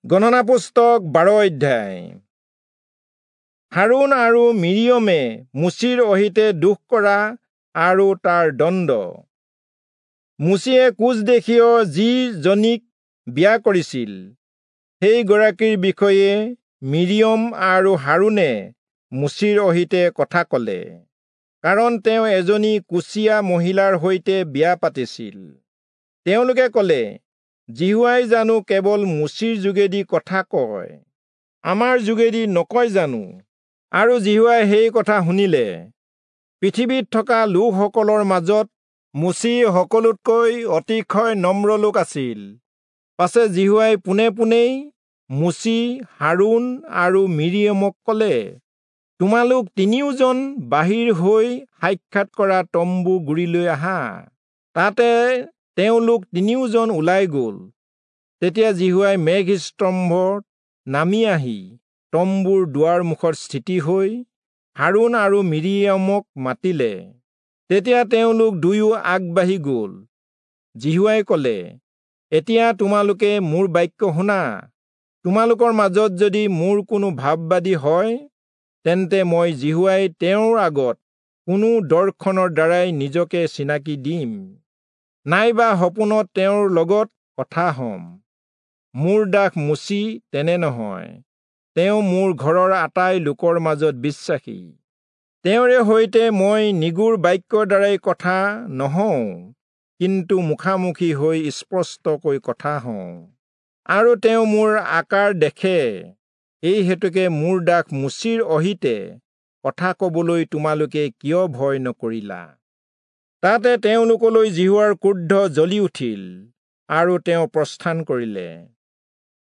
গণনা পুস্তক 12 অধ্যায়। হাৰোণ আৰু মিৰিয়মে মোচিৰ অহিতে দোষ কৰা আৰু তাৰ দণ্ড। মোচিয়ে কোচ দেশীয় যি জনীক বিয়া কৰিছিল, সেই গৰাকীৰ বিষয়ে মিৰিয়ম আৰু হাৰোণে মোচিৰ অহিতে কথা কলে, কাৰণ তেওঁ এজনী কুচীয়া মহিলাৰ সৈতে বিয়া পাতিছিল। তেওঁলোকে কলে, যিহোৱাই জানো কেৱল মোচিৰ যোগেদি কথা কয়, আমাৰ যোগেদি নকয় জানো? আৰু যিহোৱাই সেই কথা শুনিলে। পৃথিৱীত থকা লোকসকলৰ মাজত মোচি সকলোতকৈ অতিশয় নম্ৰ লোক আছিল। পাছে যিহোৱাই পোনে পোনেই মোচি, হাৰোণ আৰু মিৰিয়মক কলে, তোমালোক তিনিওজন বাহিৰ হৈ সাক্ষাৎ কৰা তম্বু গুৰিলৈ আহা। তাতে তেওঁলোক তিনিওজন ওলাই গল। তেতিয়া যিহোৱাই মেঘস্তম্ভত নামি আহি তম্বুৰ দুৱাৰ মুখত স্থিতি হৈ হাৰোণ আৰু মিৰিয়মক মাতিলে। তেতিয়া তেওঁলোক দুয়ো আগবাঢ়ি গল। যিহোৱাই কলে, এতিয়া তোমালোকে মোৰ বাক্য শুনা। তোমালোকৰ মাজত যদি মোৰ কোনো ভাববাদী হয়, তেন্তে মই যিহোৱাই তেওঁৰ আগত কোনো দৰ্শনৰ দ্বাৰাই নিজকে চিনাকি দিম, নাইবা সপোনত তেওঁৰ লগত কথা হম। মোৰ দাস মোচি তেনে নহয়, তেওঁ মোৰ ঘৰৰ আটাই লোকৰ মাজত বিশ্বাসী। তেওঁৰে সৈতে মই নিগুৰ বাক্যৰ দ্বাৰাই কথা নহওঁ, কিন্তু মুখামুখি হৈ স্পষ্টকৈ কথা হওঁ, আৰু তেওঁ মোৰ আকাৰ দেখে। এই হেতুকে মোৰ দাস মোচিৰ অহিতে কথা কবলৈ তোমালোকে কিয় ভয় নকৰিলা? তাতে তেওঁলোকলৈ যিহোৱাৰ ক্ৰোধ জ্বলি উঠিল, আৰু তেওঁ প্ৰস্থান কৰিলে।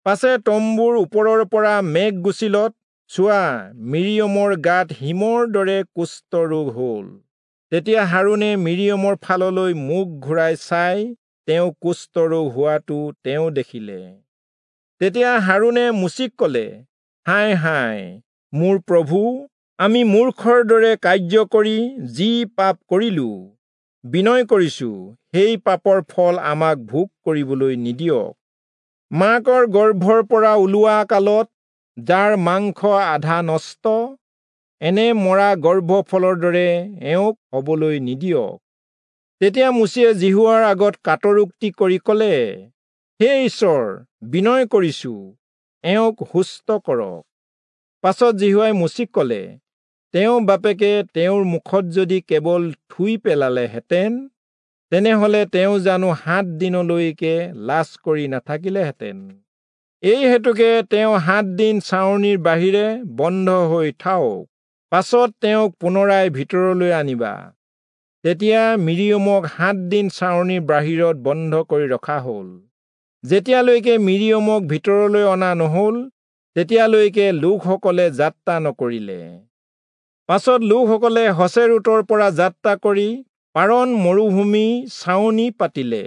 পাছে তম্বুৰ ওপৰৰ পৰা মেঘ গুচিলত, চোৱা, মিৰিয়মৰ গাত হিমৰ দৰে কুষ্ঠ ৰোগ হল। তেতিয়া হাৰোণে মিৰিয়মৰ ফাললৈ মুখ ঘূৰাই চাই তেওঁ কুষ্ঠ ৰোগ হোৱাটো তেওঁ দেখিলে। তেতিয়া হাৰোণে মোচিক কলে, হায় হায় মোৰ প্ৰভু, আমি মূৰ্খৰ দৰে কাৰ্য কৰি যি পাপ কৰিলো, বিনয় কৰিছো, সেই পাপৰ ফল আমাক ভোগ কৰিবলৈ নিদিয়ক। মাকৰ গৰ্ভৰ পৰা ওলোৱা কালত যাৰ মাংস আধা নষ্ট, এনে মৰা গৰ্ভফলৰ দৰে এওঁক হবলৈ নিদিয়ক। তেতিয়া মোচিয়ে যিহোৱাৰ আগত কাতৰোক্তি কৰি কলে, হে ঈশ্বৰ, বিনয় কৰিছো, এওঁক সুস্থ কৰক। পাছত যিহোৱাই মোচিক কলে, তেওঁ বাপেকে তেওঁৰ মুখত যদি কেৱল থুই পেলালেহেঁতেন, তেনেহলে তেওঁ জানো 7 দিনলৈকে লাজ কৰি নাথাকিলেহেঁতেন? এই হেতুকে তেওঁ 7 দিন ছাউনিৰ বাহিৰে বন্ধ হৈ থাওক, পাছত তেওঁক পুনৰাই ভিতৰলৈ আনিবা। তেতিয়া মিৰিয়মক 7 দিন ছাউনিৰ বাহিৰত বন্ধ কৰি ৰখা হল। যেতিয়ালৈকে মিৰিয়মক ভিতৰলৈ অনা নহল, তেতিয়ালৈকে লোকসকলে যাত্ৰা নকৰিলে। পাছত লোকসকলে হচেৰোতৰ পৰা যাত্ৰা কৰি পাৰণ মৰুভূমি ছাউনি পাতিলে।